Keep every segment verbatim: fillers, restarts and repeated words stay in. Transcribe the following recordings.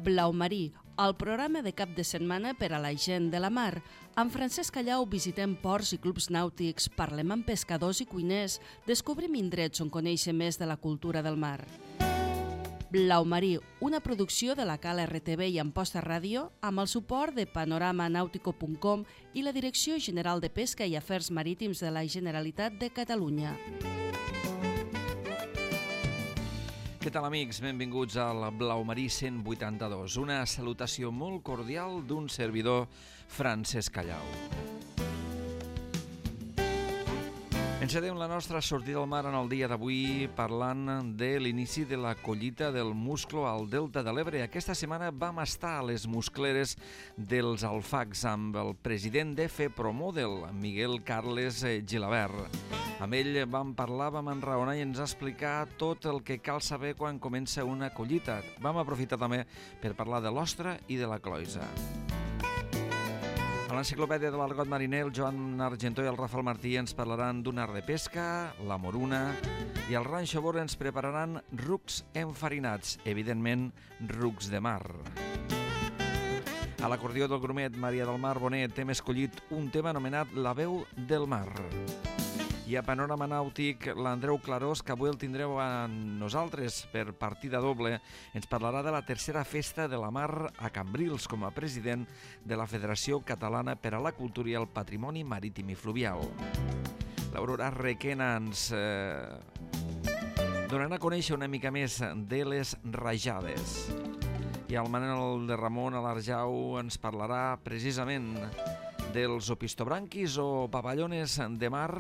Blau Marí, el programa de cap de setmana per a la gent de la mar. Amb Francesc Callau visitem ports i clubs nàutics, parlem amb pescadors i cuiners, descobrim indrets on conèixer més de la cultura del mar. Blau Marí, una producció de la Cal R T V i Amposta Ràdio, amb el suport de panorama nautico punt com i la Direcció General de Pesca i Afers Marítims de la Generalitat de Catalunya. Què tal, amics? Benvinguts al Blau Marí cent vuitanta-dos. Una salutació molt cordial d'un servidor, Francesc Callau. Encetem la nostra sortida al mar en el dia d'avui parlant de l'inici de la collita del musclo al Delta de l'Ebre. Aquesta setmana vam estar a les muscleres dels Alfacs amb el president de FEPROMODEL, Miguel Carles Gilabert. Amb ell vam parlar, vam enraonar i ens explicar tot el que cal saber quan comença una collita. Vam aprofitar també per parlar de l'ostra i de la cloisa. A l'enciclopèdia de l'Argot Mariner, el Joan Argentó i el Rafael Martí ens parlaran d'un art de pesca, la moruna, i el Ranxo Bor ens prepararan rucs enfarinats, evidentment rucs de mar. A l'acordió del grumet Maria del Mar Bonet hem escollit un tema anomenat La veu del mar. I a Panorama Nàutic, l'Andreu Clarós, que avui el tindreu a nosaltres per partida doble, ens parlarà de la tercera festa de la mar a Cambrils com a president de la Federació Catalana per a la Cultura i el Patrimoni Marítim i Fluvial. L'Aurora Requena ens eh, donarà a conèixer una mica més de les rajades. I el Manel de Ramon a l'Arjau ens parlarà precisament dels opistobranquis o papallones de mar,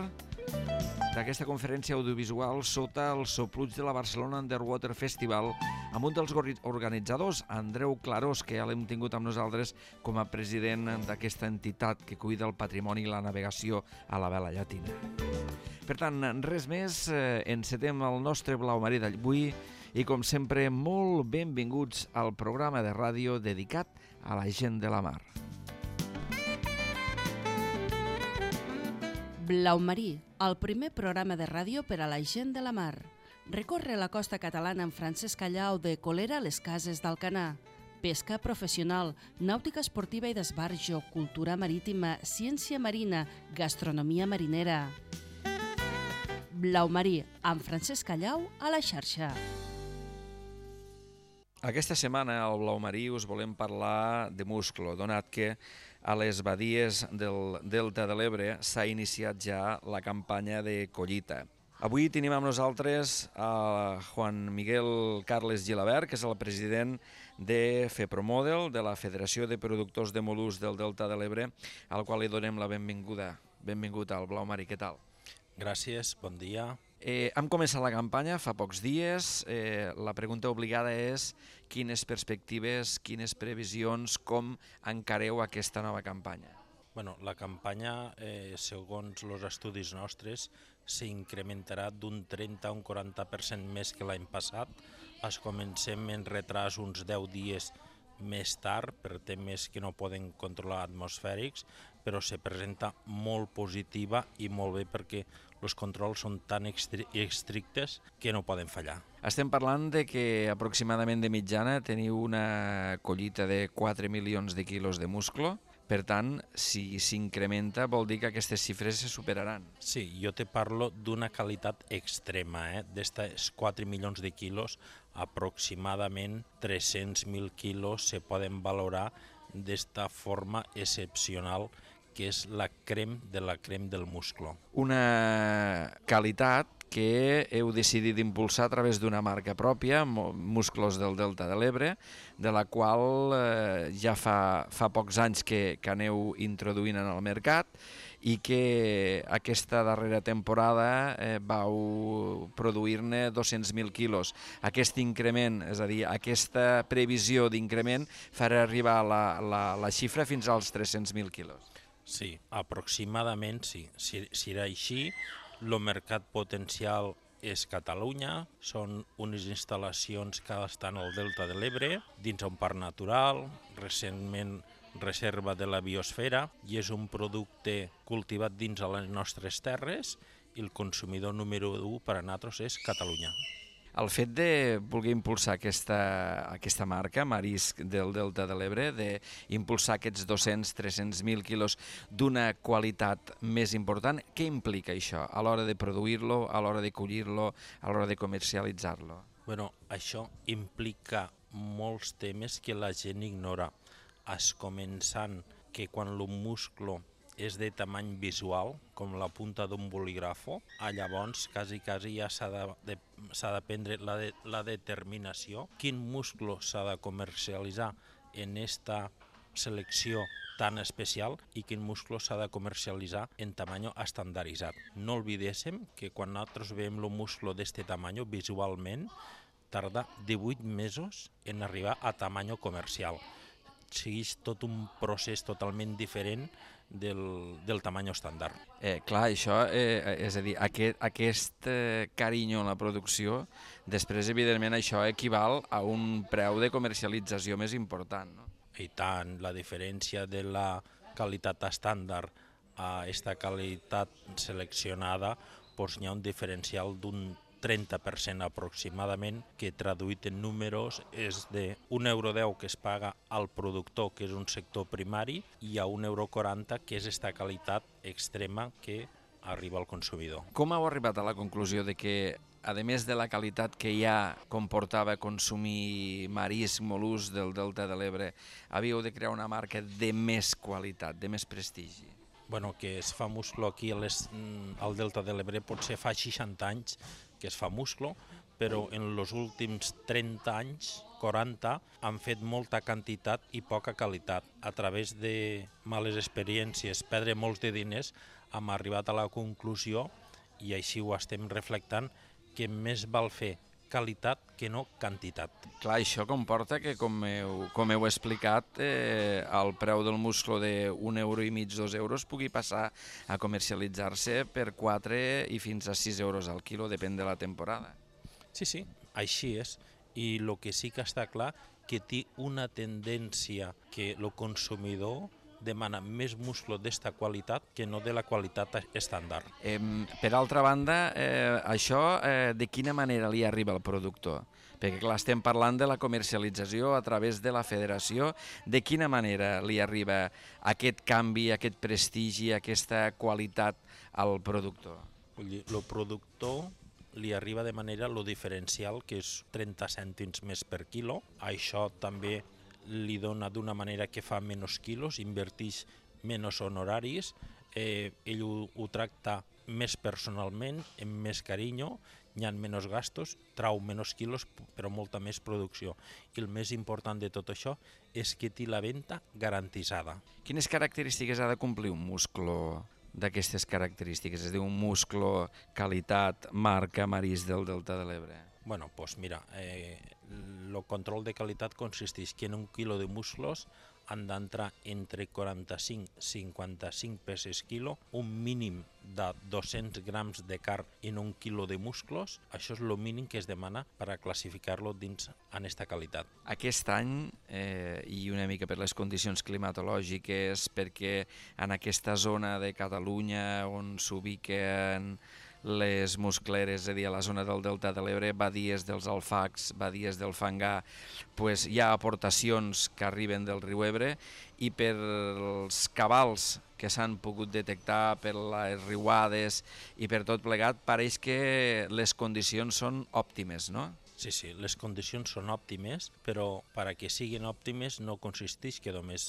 d'aquesta conferència audiovisual sota el sopluig de la Barcelona Underwater Festival amb un dels organitzadors, Andreu Clarós, que ja l'hem tingut amb nosaltres com a president d'aquesta entitat que cuida el patrimoni i la navegació a la vela llatina. Per tant, res més, encetem el nostre Blau Marí d'avui i, com sempre, molt benvinguts al programa de ràdio dedicat a la gent de la mar. Blau Marí, el primer programa de ràdio per a la gent de la mar. Recorre la costa catalana amb Francesc Callau de Colera a les Cases d'Alcanar. Pesca professional, nàutica esportiva i d'esbarjo, cultura marítima, ciència marina, gastronomia marinera. Blau Marí, amb Francesc Callau a la xarxa. Aquesta setmana al Blau Marí us volem parlar de musclo, donat que a les badies del Delta de l'Ebre s'ha iniciat ja la campanya de collita. Avui tenim amb nosaltres a Juan Miguel Carles Gilabert, que és el president de FEPROMODEL, de la Federació de Productors de Mol·luscs del Delta de l'Ebre, al qual li donem la benvinguda. Benvingut al Blau Marí, què tal? Gràcies, bon dia. Eh, hem començat la campanya fa pocs dies. Eh, la pregunta obligada és quines perspectives, quines previsions, com encareu aquesta nova campanya? Bueno, la campanya, eh, segons els estudis nostres, s'incrementarà d'un trenta a un quaranta per cent més que l'any passat. Es comencem en retras uns deu dies més tard per temes que no poden controlar atmosfèrics, però se presenta molt positiva i molt bé perquè els controls són tan estrictes que no poden fallar. Estem parlant de que aproximadament de mitjana teniu una collita de quatre milions de quilos de musclo. Per tant, si s'incrementa vol dir que aquestes xifres se superaran. Sí, jo te parlo d'una qualitat extrema, eh? D'estes quatre milions de quilos, aproximadament tres-cents mil quilos se poden valorar d'esta forma excepcional que és la crem de la crem del musclo. Una qualitat que heu decidit impulsar a través d'una marca pròpia, Musclos del Delta de l'Ebre, de la qual eh, ja fa, fa pocs anys que, que aneu introduint en el mercat i que aquesta darrera temporada eh, vau produir-ne dos-cents mil quilos. Aquest increment, és a dir, aquesta previsió d'increment farà arribar la, la, la xifra fins als tres-cents mil quilos. Sí, aproximadament sí. Si, si era així, el mercat potencial és Catalunya, són unes instal·lacions que estan al Delta de l'Ebre, dins un parc natural, recentment reserva de la biosfera, i és un producte cultivat dins de les nostres terres i el consumidor número u per a nosaltres és Catalunya. El fet de voler impulsar aquesta, aquesta marca, Marisc del Delta de l'Ebre, d'impulsar aquests dos-cents a tres-cents mil quilos d'una qualitat més important, què implica això a l'hora de produir-lo, a l'hora de collir-lo, a l'hora de comercialitzar-lo? Bueno, això implica molts temes que la gent ignora, es començant que quan el musclo és de tamany visual, com la punta d'un bolígrafo, llavors quasi, quasi ja s'ha de, de, s'ha de prendre la, de, la determinació quin musclo s'ha de comercialitzar en esta selecció tan especial i quin musclo s'ha de comercialitzar en tamany estandarditzat. No oblidéssim que quan nosaltres veiem el musclo d'este tamany visualment, tarda divuit mesos en arribar a tamany comercial. Segueix tot un procés totalment diferent del, del tamany estàndard. Eh, clar, això, eh, és a dir, aquest, aquest eh, carinyo en la producció, després, evidentment, això equival a un preu de comercialització més important, no? I tant, la diferència de la qualitat estàndard a aquesta qualitat seleccionada, doncs hi ha un diferencial d'un trenta per cent aproximadament, que traduït en números és de un euro deu que es paga al productor, que és un sector primari, i a un euro quaranta, que és esta qualitat extrema que arriba al consumidor. Com heu arribat a la conclusió de que, a més de la qualitat que ja comportava consumir marisc, mol·luscs del Delta de l'Ebre, havíeu de crear una marca de més qualitat, de més prestigi? Bueno, que es fa musclo aquí al Delta de l'Ebre potser fa seixanta anys que es fa musclo, però en els últims trenta anys, quaranta, han fet molta quantitat i poca qualitat. A través de males experiències, perdre molts de diners, hem arribat a la conclusió, i així ho estem reflectant, que més val fer qualitat que no quantitat. Clar, això comporta que, com heu, com heu explicat, eh, el preu del musclo d'un euro i mig, dos euros, pugui passar a comercialitzar-se per quatre i fins a sis euros al quilo, depèn de la temporada. Sí, sí, així és. I el que sí que està clar, que té una tendència que el consumidor demana més musclo d'esta qualitat que no de la qualitat estàndard. Eh, per altra banda, eh, això eh, de quina manera li arriba al productor? Perquè clar, estem parlant de la comercialització a través de la federació. De quina manera li arriba aquest canvi, aquest prestigi, aquesta qualitat al productor? Vull dir, el productor li arriba de manera lo diferencial, que és trenta cèntims més per quilo. Això també li dona d'una manera que fa menys quilos, inverteix menys honoraris, eh, ell ho, ho tracta més personalment, amb més carinyo, hi ha menys gastos, trau menys quilos, però molta més producció. I el més important de tot això és que té la venda garantitzada. Quines característiques ha de complir un musclo d'aquestes característiques? És a dir, un musclo, qualitat, marca, marisc del Delta de l'Ebre. Bueno, doncs mira, eh, el control de qualitat consisteix que en un quilo de musclos han d'entrar entre quaranta-cinc i cinquanta-cinc peces quilo, un mínim de dos-cents grams de carn en un quilo de musclos. Això és el mínim que es demana per a classificar-lo dins en aquesta qualitat. Aquest any, eh, i una mica per les condicions climatològiques, perquè en aquesta zona de Catalunya on s'ubiquen les muscleres, és a dir, a la zona del Delta de l'Ebre, badies dels Alfacs, badies del Fangar, pues hi ha aportacions que arriben del riu Ebre, i per els cabals que s'han pogut detectar, per les riuades i per tot plegat, pareix que les condicions són òptimes, no? Sí, sí, les condicions són òptimes, però per a que siguin òptimes no consisteix que només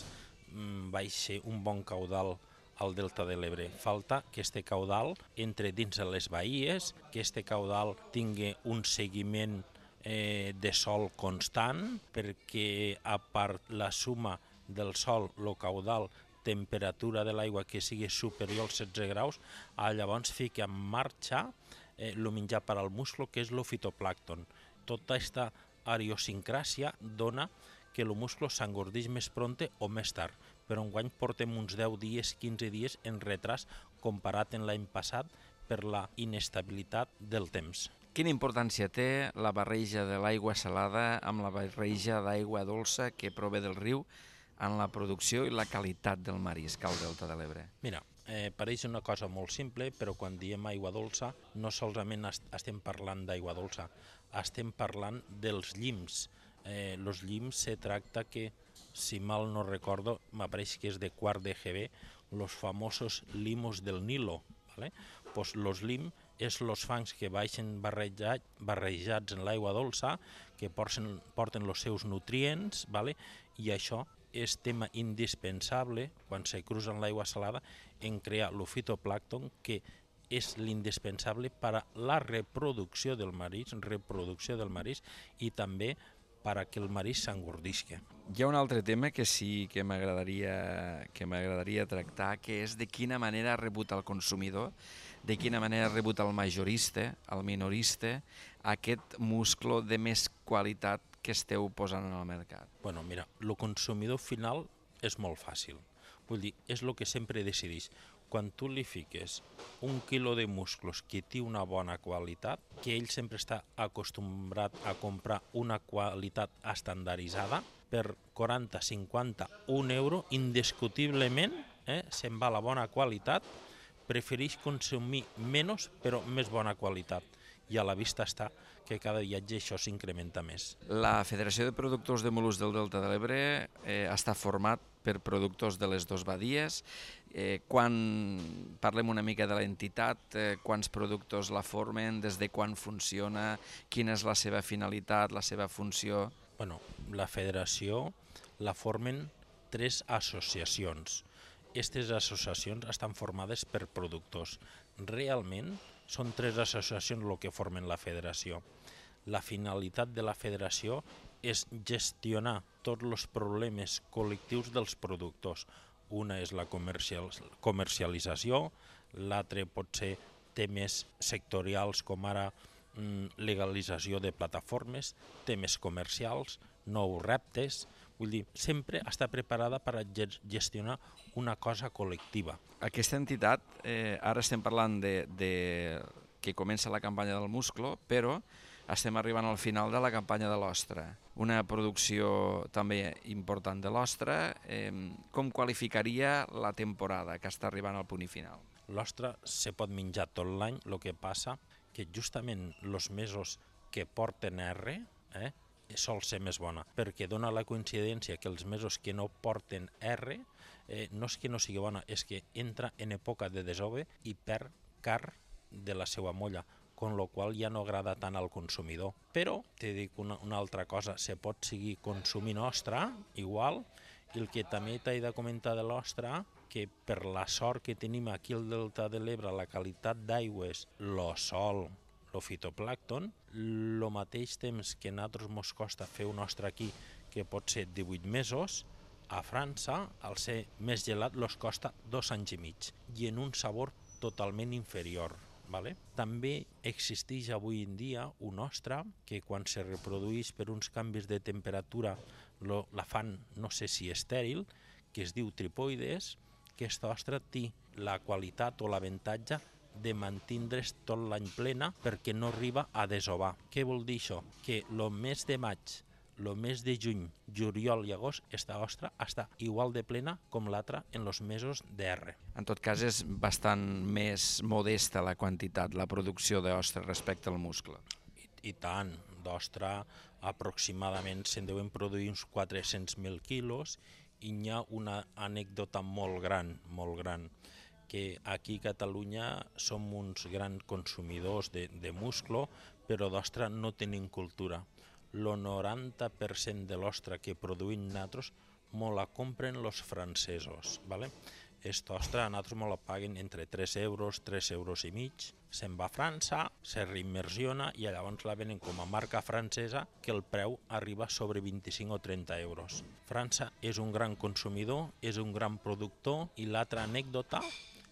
mm, baixi un bon caudal al Delta de l'Ebre. Falta que este caudal entre dins de les bahies, que este caudal tingui un seguiment eh, de sol constant, perquè a part la suma del sol, el caudal, temperatura de l'aigua que sigui superior als setze graus, llavors fica en marxa el eh, menjar per al musclo, que és el fitoplàncton. Tota aquesta idiosincràsia dona que el musclo s'engordeix més pronte o més tard, però enguany portem uns deu dies, quinze dies en retras comparat en l'any passat per la inestabilitat del temps. Quina importància té la barreja de l'aigua salada amb la barreja d'aigua dolça que prové del riu en la producció i la qualitat del marisc al Delta de l'Ebre? Mira, eh, pareix una cosa molt simple, però quan diem aigua dolça no solament est estem parlant d'aigua dolça, estem parlant dels llims. Eh, los llims se tracta que, si mal no recordo, m'apareix que és de quart de G B, los famosos limos del Nilo. ¿Vale? Pues los lim és los fangs que baixen barrejat, barrejats en l'aigua dolça, que porten, porten els seus nutrients, ¿vale? I això és tema indispensable quan se cruza en l'aigua salada en crear el fitoplàncton, que és l'indispensable per a la reproducció del marisc, reproducció del marisc i també per a que el marisc s'engordisca. Hi ha un altre tema que sí que m'agradaria que m'agradaria tractar, que és de quina manera ha rebut el consumidor, de quina manera ha rebut el majorista, el minorista, aquest musclo de més qualitat que esteu posant en el mercat. Bueno, mira, el consumidor final és molt fàcil. Vull dir, és el que sempre decideix. Quan tu li fiques un quilo de musclos que té una bona qualitat, que ell sempre està acostumbrat a comprar una qualitat estandarditzada, per quaranta, cinquanta, un euro, indiscutiblement, eh, se'n va la bona qualitat, prefereix consumir menys però més bona qualitat. I a la vista està que cada viatge això s'incrementa més. La Federació de Productors de Mol·luscs del Delta de l'Ebre eh, està format per productors de les dues badies. Eh, quan parlem una mica de l'entitat, eh, quants productors la formen, des de quan funciona, quina és la seva finalitat, la seva funció? Bueno, la federació la formen tres associacions. Aquestes associacions estan formades per productors. Realment són tres associacions el que formen la federació. La finalitat de la federació és gestionar tots els problemes col·lectius dels productors. Una és la comercial, comercialització, l'altre pot ser temes sectorials com ara legalització de plataformes, temes comercials, nous reptes. Vull dir, sempre està preparada per a gestionar una cosa col·lectiva. Aquesta entitat, eh, ara estem parlant de, de que comença la campanya del musclo, però estem arribant al final de la campanya de l'ostra. Una producció també important de l'ostra. Eh, com qualificaria la temporada que està arribant al punt i final? L'ostra se pot menjar tot l'any, el que passa que justament els mesos que porten R eh, sol ser més bona, perquè dona la coincidència que els mesos que no porten R eh, no és que no sigui bona, és que entra en època de desove i perd car de la seva molla, con lo qual ja no agrada tant al consumidor. Però, te dic una, una altra cosa, se pot seguir consumint ostra, igual, i el que també t'he de comentar de l'ostra, que per la sort que tenim aquí al Delta de l'Ebre, la qualitat d'aigües, lo sol, el fitoplàncton, el mateix temps que a nosaltres ens costa fer un ostra aquí, que pot ser divuit mesos, a França, al ser més gelat, els costa dos anys i mig, i en un sabor totalment inferior. Vale? També existeix avui en dia un ostra que quan se reprodueix per uns canvis de temperatura lo, la fan, no sé si estèril, que es diu tripoides, que aquesta ostra té la qualitat o l'avantatge de mantindre's tot l'any plena perquè no arriba a desovar. Què vol dir això? Que el mes de maig, el mes de juny, juliol i agost, aquesta ostra està igual de plena com l'altra en els mesos d'R. En tot cas, és bastant més modesta la quantitat, la producció d'ostra respecte al muscle. I, i tant, d'ostra aproximadament se'n deuen produir uns quatre-cents mil quilos i hi ha una anècdota molt gran, molt gran, que aquí a Catalunya som uns grans consumidors de, de musclo, però d'ostra no tenim cultura. El noranta per cent de l'ostra que produïm nosaltres me la compren els francesos. ¿Vale? Aquesta ostra a nosaltres me la paguen entre tres euros, tres euros i mig, se'n va a França, se reimmersiona i llavors la venen com a marca francesa que el preu arriba sobre vint-i-cinc o trenta euros. França és un gran consumidor, és un gran productor i l'altra anècdota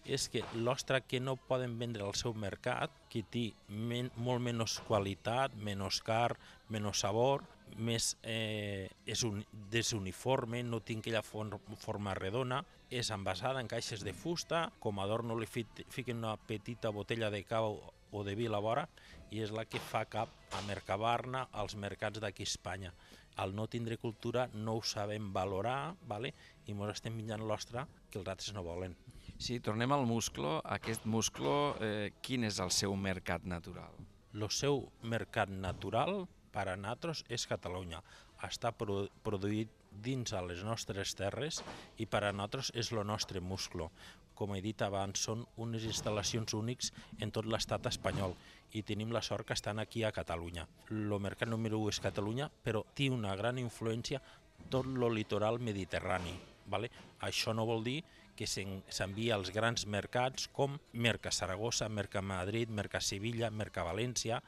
és que l'ostra que no poden vendre al seu mercat, que té men molt menys qualitat, menys car, menys sabor, més eh, és un desuniforme, no té aquella forma redona, és envasada en caixes de fusta, com a adorno li fiquen una petita botella de cava o de vi a la vora i és la que fa cap a Mercabarna als mercats d'aquí a Espanya. Al no tindre cultura no ho sabem valorar, ¿vale? I ens estem menjant l'ostra que els altres no volen. Sí, tornem al musclo. Aquest musclo, eh, quin és el seu mercat natural? El seu mercat natural per a nosaltres és Catalunya. Està produ produït dins a les nostres terres i per a nosaltres és el nostre musclo. Com he dit abans, són unes instal·lacions únics en tot l'estat espanyol i tenim la sort que estan aquí a Catalunya. El mercat número u és Catalunya, però té una gran influència tot el litoral mediterrani. Vale? Això no vol dir que s'envia als grans mercats com Merca Saragossa, Merca Madrid, Merca Sevilla, Merca València,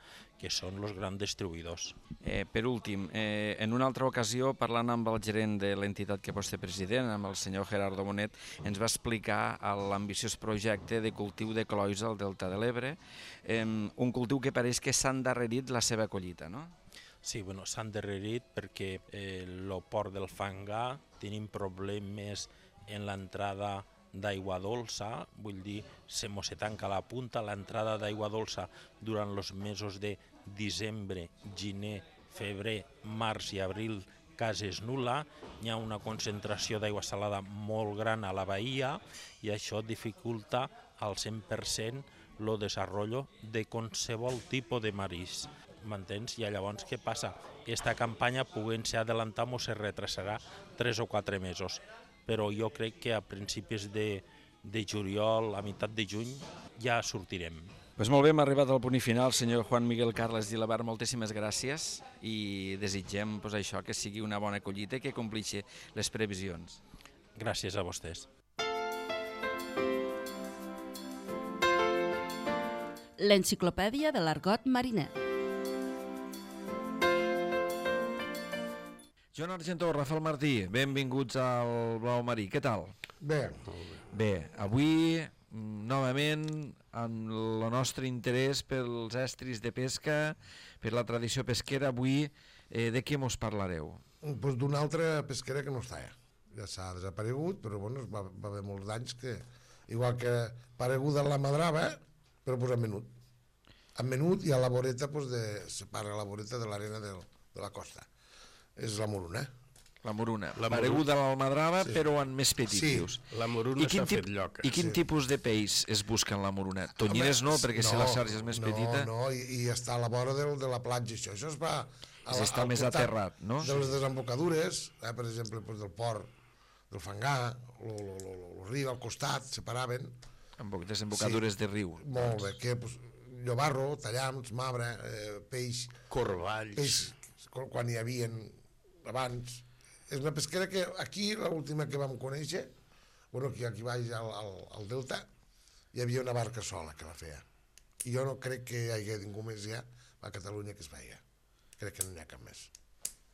que són els grans distribuïdors. Eh, per últim, eh, en una altra ocasió, parlant amb el gerent de l'entitat que vostè president, amb el senyor Gerardo Bonet, ens va explicar l'ambiciós projecte de cultiu de cloïssa al Delta de l'Ebre, eh, un cultiu que pareix que s'ha endarrerit la seva collita, no? Sí, bueno, s'ha endarrerit perquè el eh, port del Fangar tenim problemes en l'entrada d'aigua dolça, vull dir, se mos se tanca la punta, l'entrada d'aigua dolça durant els mesos de desembre, gener, febrer, març i abril quasi és nul·la, hi ha una concentració d'aigua salada molt gran a la bahia i això dificulta al cent per cent el desenvolupament de qualsevol tipus de marisc. M'entens? I llavors què passa? Aquesta campanya, podent-se adelantar, se retrasarà tres o quatre mesos. Però jo crec que a principis de, de juliol, a meitat de juny, ja sortirem. Pues molt bé, hem arribat al punt i final. Senyor Juan Miguel Carles Gilabar, moltíssimes gràcies i desitgem pues, això, que sigui una bona collita i que complixi les previsions. Gràcies a vostès. L'enciclopèdia de l'argot mariner. Joan Argentó, Rafael Martí, benvinguts al Blau Marí. Què tal? Bé. Bé, avui, novament, amb el nostre interès pels estris de pesca, per la tradició pesquera, avui, eh, de què mos parlareu? Pues d'una altra pesquera que no està ja. Ja s'ha desaparegut, però bueno, va, va haver molts d'anys que, igual que apareguda la madrava, però pues en menut. En menut i a la voreta, pues de, separa la voreta de l'arena de, de la costa. És la moruna. La moruna, La pareguda a l'almadrava, Sí. però en més petit, Sí. dius. La moruna s'ha fet lloca. I quin Sí. tipus de peix es busca en la moruna? Tonyines no, perquè si la xarxa és més no, petita... No, i, i està a la vora del, de la platja, això. Això es va... És estar més aterrat, no? De les desembocadures, eh, per exemple, pues, del port, del Fangar, el riu al costat, separaven. Amb desembocadures Sí. de riu. Molt bé, que pues, llobarro, tallams, mabre, eh, peix... Corvalls. Peix, quan hi havia abans. És una pesquera que aquí, l'última que vam conèixer, bueno, aquí, aquí baix al, al, al Delta, hi havia una barca sola que la feia. I jo no crec que hi hagi ningú més ja a Catalunya que es feia. Crec que no n'hi ha cap més.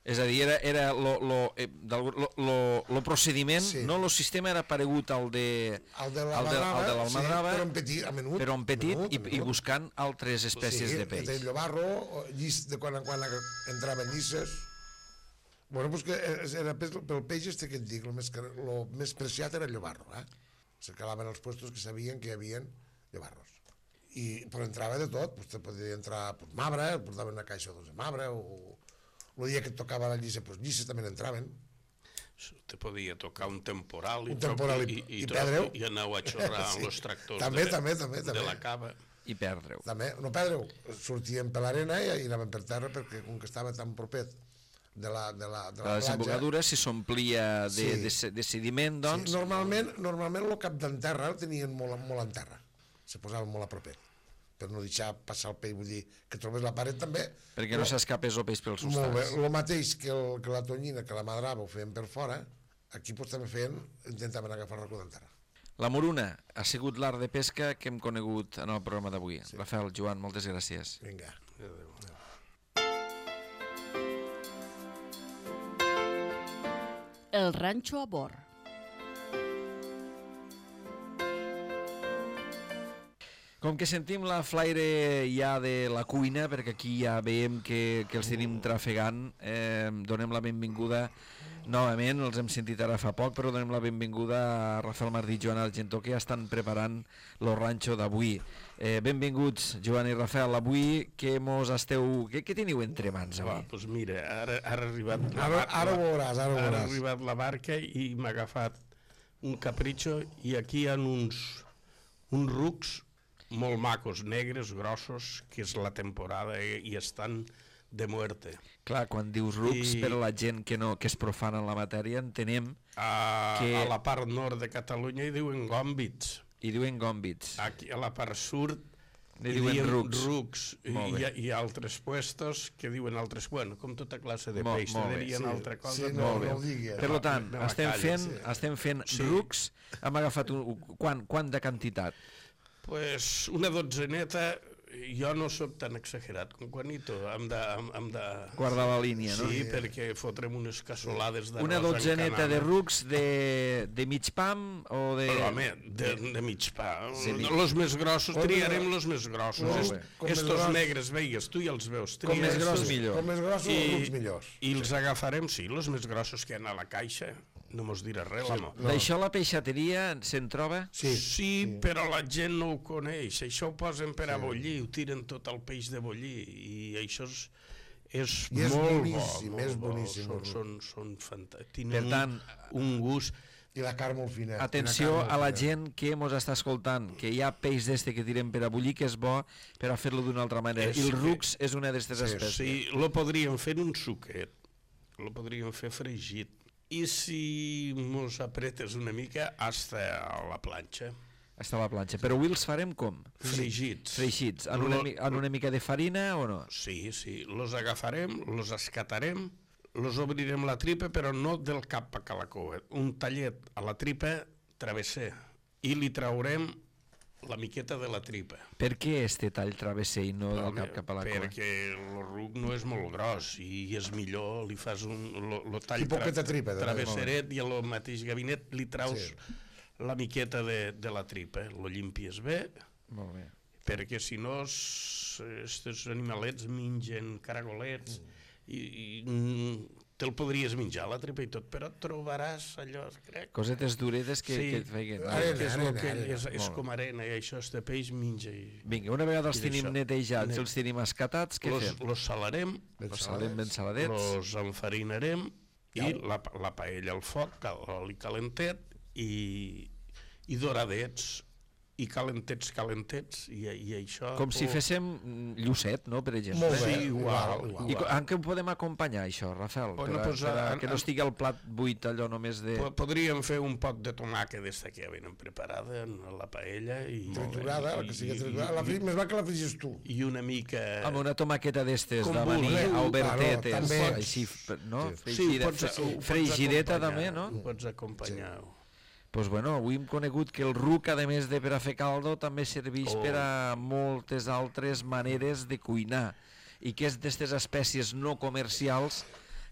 És a dir, era, era lo, lo, eh, del- lo, lo, lo procediment, Sí. no? El sistema era paregut al de, El de al de, al de l'almadrava, sí, però en petit, a menut. però en petit menut, i, a i menut. buscant altres espècies sí, de peix. Sí, el llobarro, llis, de quan en quan entraven llisses. Bueno, pues que era pes, pel peix este que et dic, el més, el més preciat era el llobarro, eh? Se calaven els puestos que sabien que hi havia llobarros. I, però entrava de tot, pues te podia entrar pues, mabre, portaven una caixa o dos de mabre, o el dia que et tocava la llissa, pues llisses també entraven. Te podia tocar un temporal i, Un temporal i- i, i tot, perdre-ho. i aneu a xorrar Sí. amb els tractors També, de, també, també, també. de la cava. I perdre-ho. També, no perdre-ho, sortíem per l'arena i anaven per terra perquè com que estava tan propet de la, de la, de la, La platja... desembocadura, si s'omplia de, Sí. de, se- de sediment, doncs... Sí, normalment, normalment el cap d'en terra el tenien molt, molt en terra, se posaven molt a propet, per no deixar passar el peix, vull dir, que trobés la paret també. Perquè no s'escapés el peix pels Molt bé, costats. el mateix que, el, que la tonyina, que la madrava ho feien per fora, aquí pues, també feien, intentaven agafar el racó d'en terra. La moruna ha sigut l'art de pesca que hem conegut en el programa d'avui. Sí. Rafael, Joan, moltes gràcies. Vinga. El ranxo a bord. Com que sentim la flaire ja de la cuina, perquè aquí ja veiem que, que els tenim trafegant, eh, donem la benvinguda novament, els hem sentit ara fa poc, però donem la benvinguda a Rafael Martí i Joan Argentó, que ja estan preparant el ranxo d'avui. Eh, benvinguts, Joan i Rafael. Avui què mos esteu... Què, què teniu entre mans Va, avui? doncs mira, ara, ara ha arribat la Ara, barca, ara ho veuràs, ara ho ara ha veuràs. arribat la barca i m'ha agafat un capritxo, i aquí hi ha uns, uns rucs molt macos, negres, grossos, que és la temporada i, i estan de muerte. Clar, quan dius rucs, I- per a la gent que, no, que és profana en la matèria, entenem, A, Que- a la part nord de Catalunya hi diuen gòmbits. i diuen gòmbits. Aquí a la part sud Li hi diuen diem rucs. rucs. I Molt hi bé. ha, hi ha altres puestos que diuen altres... Bueno, com tota classe de Molt- peix, molt te bé, dirien sí, altra cosa. sí, però- no, Molt bé. no ho digui. Per Me- tant, me la estem callo, fent, sí. estem fent Sí. rucs. Hem agafat un, quant, quant de quantitat? Pues una dotzeneta, jo no sóc tan exagerat com Juanito, hem de... Hem, hem de... Guardar la línia, no? Sí, perquè fotrem unes cassolades d'arròs Una dotzeneta de encanada. rucs de, de mig pam o de... Però, home, de, de mig pa. Sí, mig. Los més grossos, Com triarem més- los més grossos. Molt Est- bé. Com més Estos gros- negres, veigues, tu ja els veus. Com tria més gros, estos. millor. Com més grossos, els rucs millors. I els agafarem, sí, los més grossos que hi ha a la caixa. No mos dirà res, l'amo. No. D'això la peixateria se'n troba? Sí, Sí, però la gent no ho coneix. Això ho posen per a bullir, ho tiren tot el peix de bullir, i això és, és, I és molt boníssim, bo. és molt bo. boníssim, Són, el són, són fantàstics. Tenen Per tant, un, un gust. I la carn molt fina. Atenció Una carn a la molt fina. gent que mos està escoltant, que hi ha peix d'este que tirem per a bullir, que és bo per a fer-lo d'una altra manera. És I el que- rucs és una d'aquestes Sí, espècies. Sí, lo podríem fer en un suquet, lo podríem fer fregit. I si mos apretes una mica, hasta a la planxa. Està a la planxa. Però avui els farem com? Fregits. Freixits. En una, Lo- mi- en una mica de farina o no? Sí, sí, los agafarem, los escatarem, los obrirem la tripa, però no del cap a la cua. Un tallet a la tripa travesser, i li traurem la miqueta de la tripa. Per què este tall travesser i no del Home, cap cap a la cua? perquè el ruc no és molt gros i és millor, li fas un lo, lo tall I poqueta tripa, de travesseret, i al mateix gabinet li traus Sí. la miqueta de, de la tripa, lo llimpies bé, Molt bé. perquè si no aquests animalets mengen caragolets i, i mm, te'l podries menjar la tripa i tot, però et trobaràs allò, crec. Cosetes duretes que, Sí. que et feien. Arena, que és, lo arena, que arena. és, és Molt com arena, i això este peix menja. I... Vinga, una vegada els I tenim d'això. netejats, Net- els tenim escatats, què Los, fem? los salarem, Ben Els saladem ben saladets. saladets. los enfarinarem i la, la paella al foc, cal- l'oli calentet i, i doradets, i calentets, calentets, i, i això... Com si oh, féssim mm, llucet, no?, per exemple. Molt bé, Sí, igual, igual. I co- en què ho podem acompanyar, això, Rafael? Bueno, per a, pues, per a, en- que no en- estigui el plat buit allò només de... po- Podríem fer un pot de tomàquet d'esta que ja venen preparada en la paella i... Triturada, la que sigui i- triturada. La i- fri- Més val que la frigis tu. I una mica... Amb una tomaqueta d'estes, Com de maní, vulgueu. a obertetes, Claro, també. així, no? Sí. Fregida, ho pots- ho pots fregideta acompanyar, també, no? Ho pots acompanyar. Pues bueno, avui hem conegut que el ruc, a més de per a fer caldo, també serveix Oh. per a moltes altres maneres de cuinar i que és d'aquestes espècies no comercials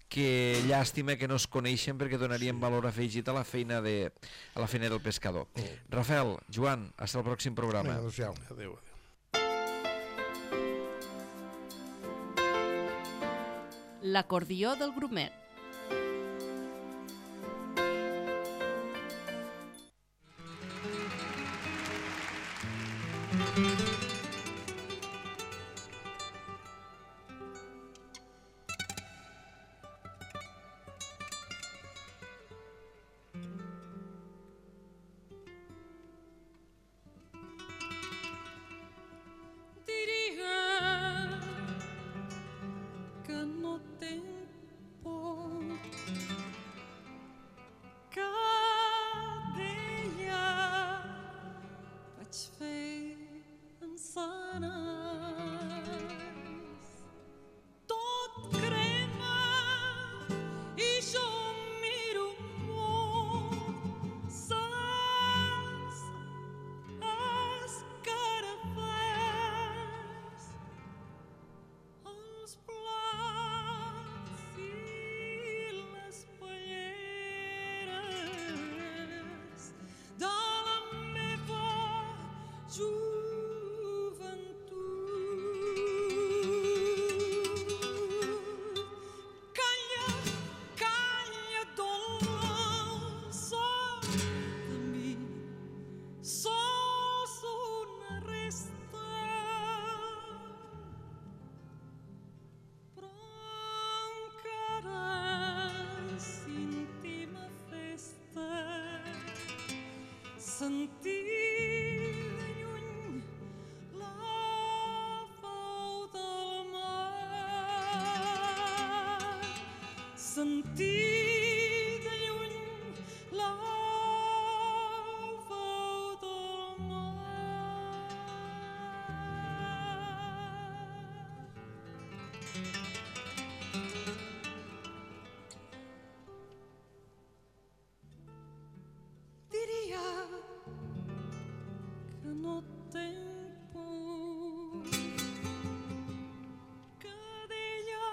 que llàstima que no es coneixen perquè donarien valor afegit a la feina de a la feina del pescador. Rafael, Joan, fins al pròxim programa. Vinga, adéu-siau. Adéu, adéu. L'acordió del grumet. Diria que no tempo cada dia vaig fer encenes, tot crema i jo miro molt saps escarafats, els plats i les palleres de la meva joventut. sentir de lluny la veu del mar. Diria que no tenc por, que d'ella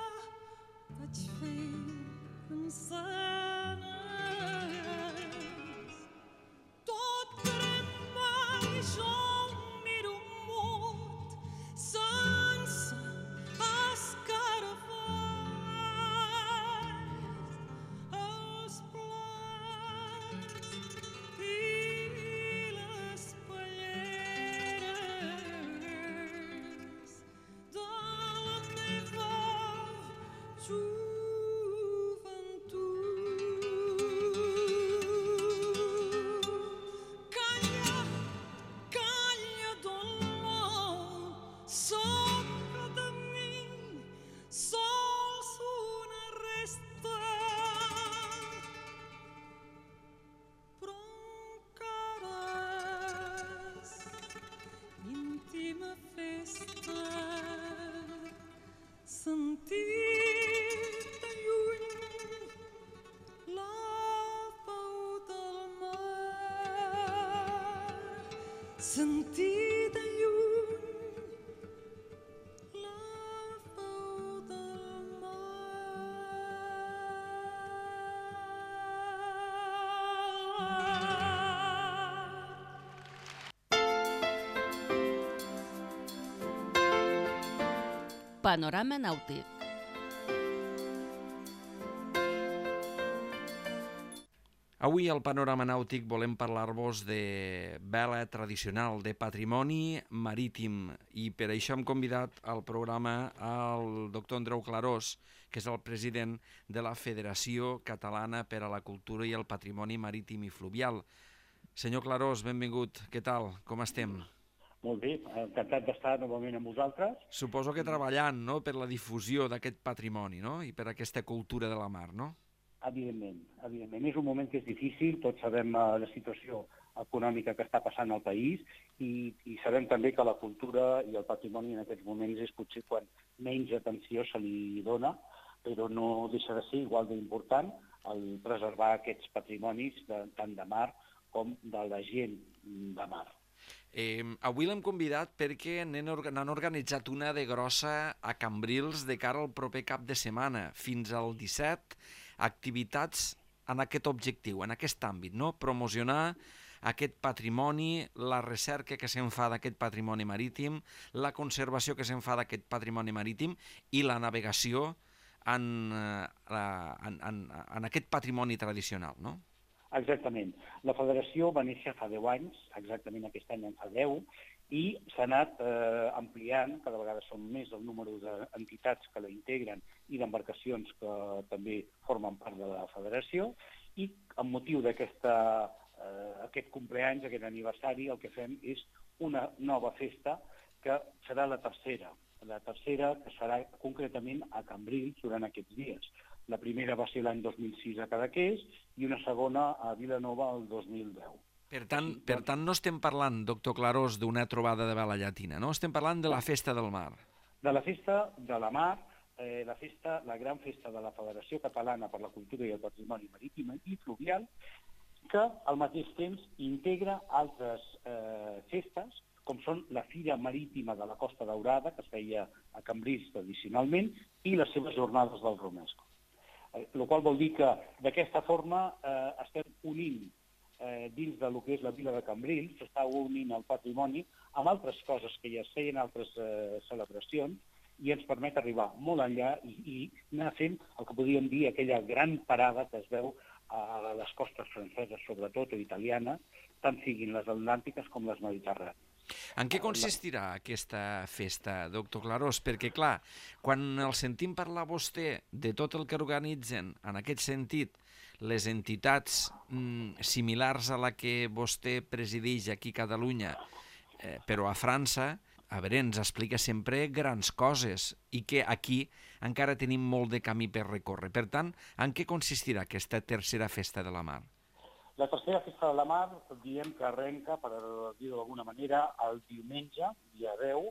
vaig fer cançanes. Tot crema i jo miro mut sense escarafalls. Els plats i les palleres de la meva joventut. Calla, calla, dolor, sopra de mi, sols una resta, però encara és íntima festa. Sentir de lluny la veu del mar. Sentir de lluny la veu del mar. Panorama nàutic. Avui al Panorama Nàutic volem parlar-vos de vela tradicional, de patrimoni marítim, i per això hem convidat al programa al doctor Andreu Clarós, que és el president de la Federació Catalana per a la Cultura i el Patrimoni Marítim i Fluvial. Senyor Clarós, benvingut. Què tal? Com estem? Molt bé, encantat d'estar novament amb vosaltres. Suposo que treballant, no?, per la difusió d'aquest patrimoni, no?, i per aquesta cultura de la mar, no? Evidentment, evidentment. És un moment que és difícil, tots sabem uh, la situació econòmica que està passant al país i, i sabem també que la cultura i el patrimoni en aquests moments és potser quan menys atenció se li dona, però no deixa de ser igual d'important el preservar aquests patrimonis de, tant de mar com de la gent de mar. Eh, avui l'hem convidat perquè n'han organitzat una de grossa a Cambrils de cara al proper cap de setmana, fins al disset, activitats en aquest objectiu, en aquest àmbit, no? Promocionar aquest patrimoni, la recerca que se'n fa d'aquest patrimoni marítim, la conservació que se'n fa d'aquest patrimoni marítim i la navegació en, en, en, en aquest patrimoni tradicional, no? Exactament. La federació va néixer fa deu anys, exactament aquest any en fa deu, i s'ha anat eh, ampliant, cada vegada són més el número d'entitats que la integren i d'embarcacions que també formen part de la federació, i amb motiu d'aquest eh, compleanys, aquest aniversari, el que fem és una nova festa que serà la tercera, la tercera que serà concretament a Cambrils durant aquests dies. La primera va ser l'any dos mil sis a Cadaqués i una segona a Vilanova el dos mil deu. Per tant, per tant, no estem parlant, doctor Clarós, d'una trobada de vela llatina, no? Estem parlant de la Festa del Mar. De la Festa de la Mar, eh, la, festa, la gran festa de la Federació Catalana per la Cultura i el Patrimoni Marítim i Fluvial, que al mateix temps integra altres eh, festes, com són la Fira Marítima de la Costa Daurada, que es feia a Cambrils tradicionalment, i les seves jornades del Romesco. El qual vol dir que d'aquesta forma eh, estem unint eh, dins del que és la vila de Cambrils, s'està unint el patrimoni amb altres coses que ja es feien, altres eh, celebracions, i ens permet arribar molt enllà i, i anar fent el que podríem dir aquella gran parada que es veu a les costes franceses, sobretot, o italianes, tant siguin les atlàntiques com les mediterrànies. En què consistirà aquesta festa, doctor Clarós? Perquè, clar, quan el sentim parlar vostè de tot el que organitzen, en aquest sentit, les entitats mm, similars a la que vostè presideix aquí a Catalunya, eh, però a França, a veure, ens explica sempre grans coses i que aquí encara tenim molt de camí per recórrer. Per tant, en què consistirà aquesta tercera festa de la mar? La tercera festa de la mar, diem que arrenca, per dir-ho d'alguna manera, el diumenge, dia deu,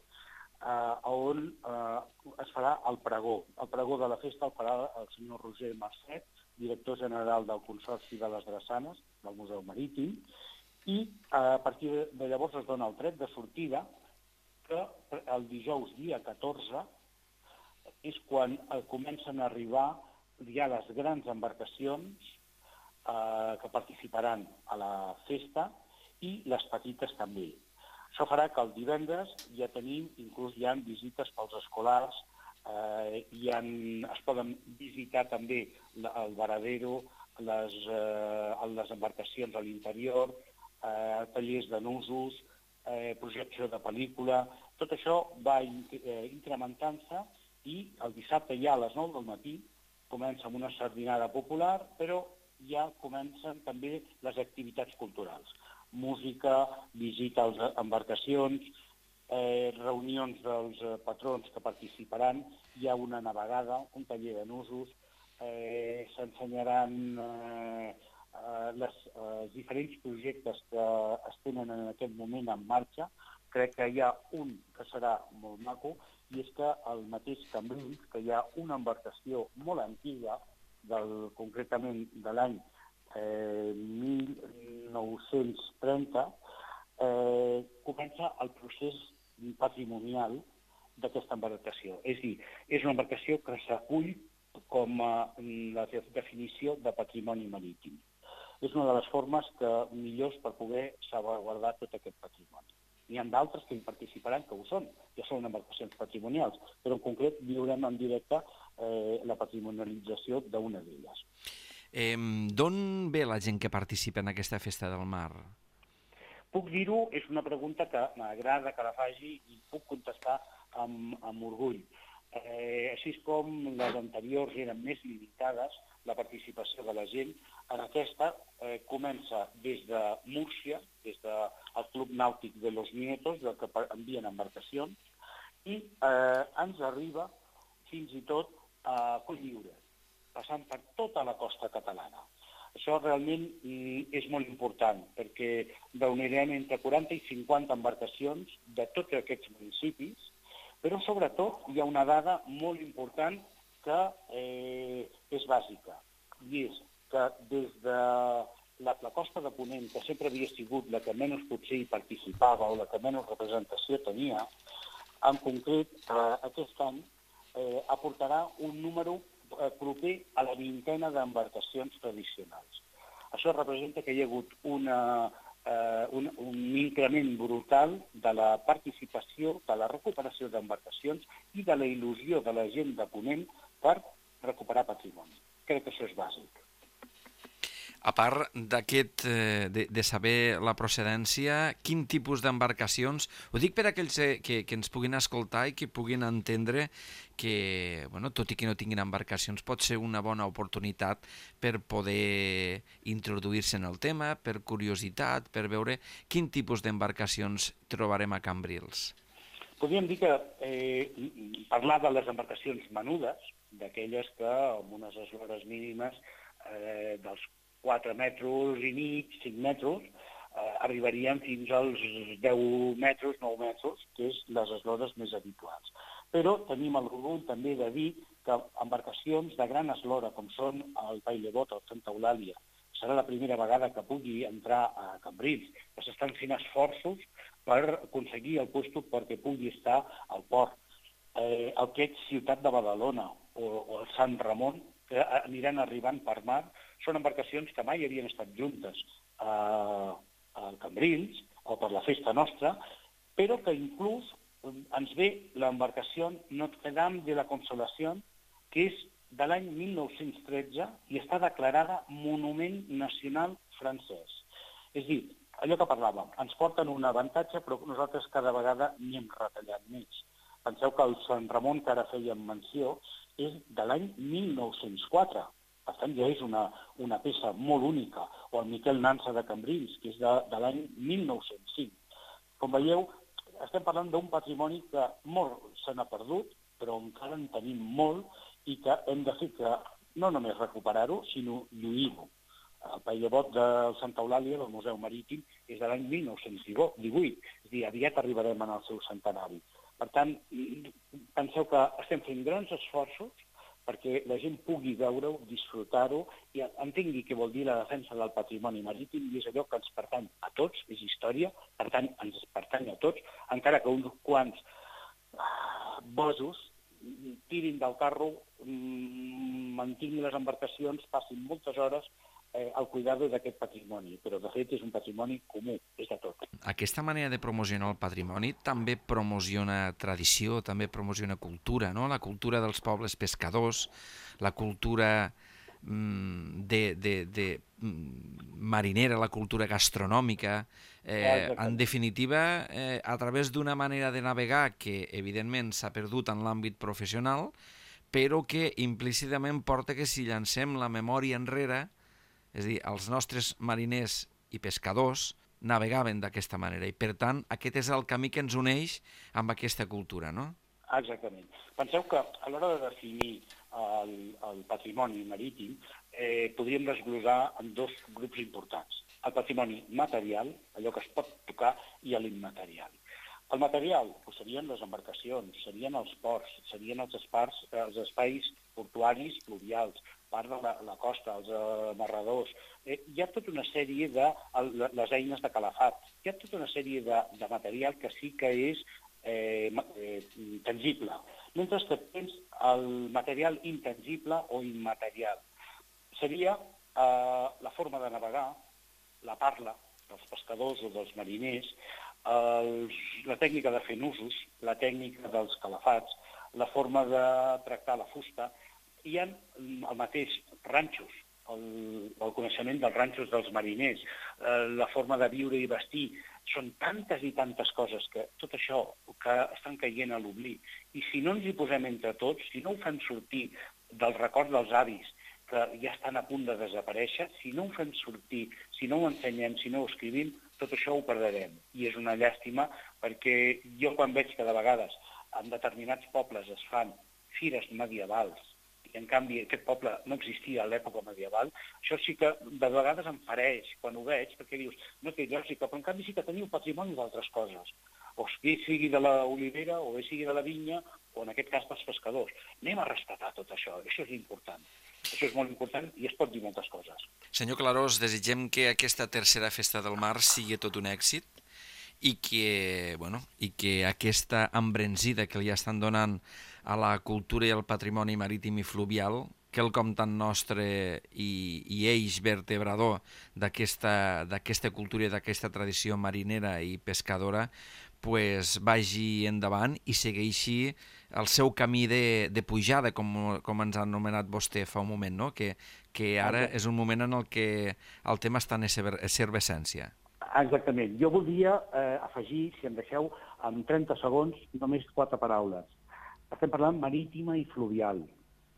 eh, on eh, es farà el pregó. El pregó de la festa el farà el senyor Roger Marcet, director general del Consorci de les Drassanes, del Museu Marítim, i eh, a partir de llavors es dona el tret de sortida, que el dijous dia catorze és quan eh, comencen a arribar ja les grans embarcacions eh, que participaran a la festa i les petites també. Això farà que el divendres ja tenim, inclús hi ha visites pels escolars, eh, hi ha, es poden visitar també el varadero, les, eh, les embarcacions a l'interior, eh, tallers de nusos, eh, projecció de pel·lícula. Tot això va eh, incrementant-se i el dissabte ja a les nou del matí comença amb una sardinada popular, però ja comencen també les activitats culturals. Música, visita a les embarcacions, eh, reunions dels eh, patrons que participaran, hi ha una navegada, un taller de nusos, eh, s'ensenyaran eh, eh, les eh, diferents projectes que es tenen en aquest moment en marxa. Crec que hi ha un que serà molt maco, i és que al mateix Cambrils, que hi ha una embarcació molt antiga, del, concretament de l'any eh, mil nou-cents trenta, eh, comença el procés patrimonial d'aquesta embarcació. És a dir, és una embarcació que s'acull com a la definició de patrimoni marítim. És una de les formes que millors per poder salvaguardar tot aquest patrimoni. N'hi ha d'altres que hi participaran que ho són, ja són embarcacions patrimonials, però en concret viurem en directe eh, la patrimonialització d'una d'elles. Eh, D'on ve la gent que participa en aquesta festa del mar? Puc dir-ho, és una pregunta que m'agrada que la faci i puc contestar amb, amb orgull. Eh, així com les anteriors eren més limitades, la participació de la gent, en aquesta eh, comença des de Múrcia, des del Club Nàutic de los Nietos, del que envien embarcacions, i eh, ens arriba fins i tot a Cotlliure, passant per tota la costa catalana. Això realment és molt important, perquè reunirem entre quaranta i cinquanta embarcacions de tots aquests municipis, però sobretot hi ha una dada molt important que eh, és bàsica, i és que des de la, la costa de Ponent, que sempre havia sigut la que menys potser hi participava o la que menys representació tenia, en concret eh, aquest any eh, aportarà un número eh, proper a la vintena d'embarcacions tradicionals. Això representa que hi ha hagut una, eh, un, un increment brutal de la participació, de la recuperació d'embarcacions i de la il·lusió de la gent de Ponent per recuperar patrimoni. Crec que això és bàsic. A part d'aquest, eh, de, de saber la procedència, quin tipus d'embarcacions... Ho dic per a aquells que, que ens puguin escoltar i que puguin entendre que, bueno, tot i que no tinguin embarcacions, pot ser una bona oportunitat per poder introduir-se en el tema, per curiositat, per veure quin tipus d'embarcacions trobarem a Cambrils. Podríem dir que eh, parlar de les embarcacions menudes, d'aquelles que amb unes eslores mínimes eh, dels quatre metres i mig, cinc metres, eh, arribarien fins als deu metres, nou metres, que és les eslores més habituals. Però tenim el orgull també de dir que embarcacions de gran eslora, com són el Bailebot o el Santa Eulàlia, serà la primera vegada que pugui entrar a Cambrils, que s'estan fent esforços per aconseguir el lloc perquè pugui estar al port. Eh, el que és Ciutat de Badalona o, o el Sant Ramon, que aniran arribant per mar, són embarcacions que mai havien estat juntes a, a Cambrils o per la festa nostra, però que inclús ens ve l'embarcació Notre Dame de la Consolació, que és de l'any mil nou-cents tretze i està declarada Monument Nacional francès. És a dir, allò que parlàvem, ens porten un avantatge, però nosaltres cada vegada n'hi hem retallat més. Penseu que el Sant Ramon, que ara fèiem menció, és de l'any mil nou-cents quatre. Per tant, ja és una, una peça molt única. O el Miquel Nansa de Cambrils, que és de, de l'any mil nou-cents cinc. Com veieu, estem parlant d'un patrimoni que molt se n'ha perdut però encara en tenim molt i que hem de fer que no només recuperar-ho, sinó lluir-ho. El paellabot del Santa Eulàlia, del Museu Marítim, és de l'any mil nou-cents divuit, és a dir, aviat arribarem en el seu centenari. Per tant, penseu que estem fent grans esforços perquè la gent pugui veure-ho, disfrutar-ho i entengui què vol dir la defensa del patrimoni marítim, i és allò que ens pertany a tots, és història, per tant, ens pertany a tots, encara que uns quants bosos tirin del carro, mantinguin les embarcacions, passin moltes hores eh, al cuidado d'aquest patrimoni, però de fet és un patrimoni comú, és de tot. Aquesta manera de promocionar el patrimoni també promociona tradició, també promociona cultura, no? La cultura dels pobles pescadors, la cultura mm, de, de, de mm, marinera, la cultura gastronòmica. Eh, en definitiva, eh, a través d'una manera de navegar que evidentment s'ha perdut en l'àmbit professional, però que implícitament porta que si llancem la memòria enrere, és a dir, els nostres mariners i pescadors navegaven d'aquesta manera i, per tant, aquest és el camí que ens uneix amb aquesta cultura, no? Exactament. Penseu que a l'hora de definir el, el patrimoni marítim eh, podríem desglosar en dos grups importants. El patrimoni material, allò que es pot tocar, i l'immaterial. El material doncs, serien les embarcacions, serien els ports, serien els, espars, els espais portuaris fluvials, part de la, la costa, els amarradors. Eh, hi ha tota una sèrie de el, les eines de calafat, hi ha tota una sèrie de, de material que sí que és eh, eh, tangible. Mentre que tens el material intangible o immaterial. Seria eh, la forma de navegar, la parla dels pescadors o dels mariners, els, la tècnica de fer nusos, la tècnica dels calafats, la forma de tractar la fusta. Hi ha el mateix ranxos, el, el coneixement dels ranxos dels mariners, eh, la forma de viure i vestir. Són tantes i tantes coses que tot això que estan caient a l'oblit. I si no ens hi posem entre tots, si no ho fem sortir del record dels avis, que ja estan a punt de desaparèixer, si no ho fem sortir, si no ho ensenyem, si no ho escrivim, tot això ho perdrem. I és una llàstima perquè jo quan veig que de vegades en determinats pobles es fan fires medievals i en canvi aquest poble no existia a l'època medieval, això sí que de vegades em fareix quan ho veig perquè dius, no té lògica, però en canvi sí que teniu patrimoni d'altres coses. O sigui de l'olivera, o sigui de la vinya, o en aquest cas dels pescadors. Anem a rescatar tot això, això és important. Això és molt important i es pot dir moltes coses. Senyor Clarós, desitgem que aquesta tercera festa del mar sigui tot un èxit i que, bueno, i que aquesta embranzida que li estan donant a la cultura i al patrimoni marítim i fluvial, quelcom tan nostre i, i eix vertebrador d'aquesta d'aquesta cultura i d'aquesta tradició marinera i pescadora, pues vagi endavant i segueixi el seu camí de, de pujada, com, com ens ha anomenat vostè fa un moment, no? que, que ara és un moment en el que el tema està en efervescència. Exactament. Jo voldria eh, afegir, si em deixeu, en trenta segons, només quatre paraules. Estem parlant marítima i fluvial,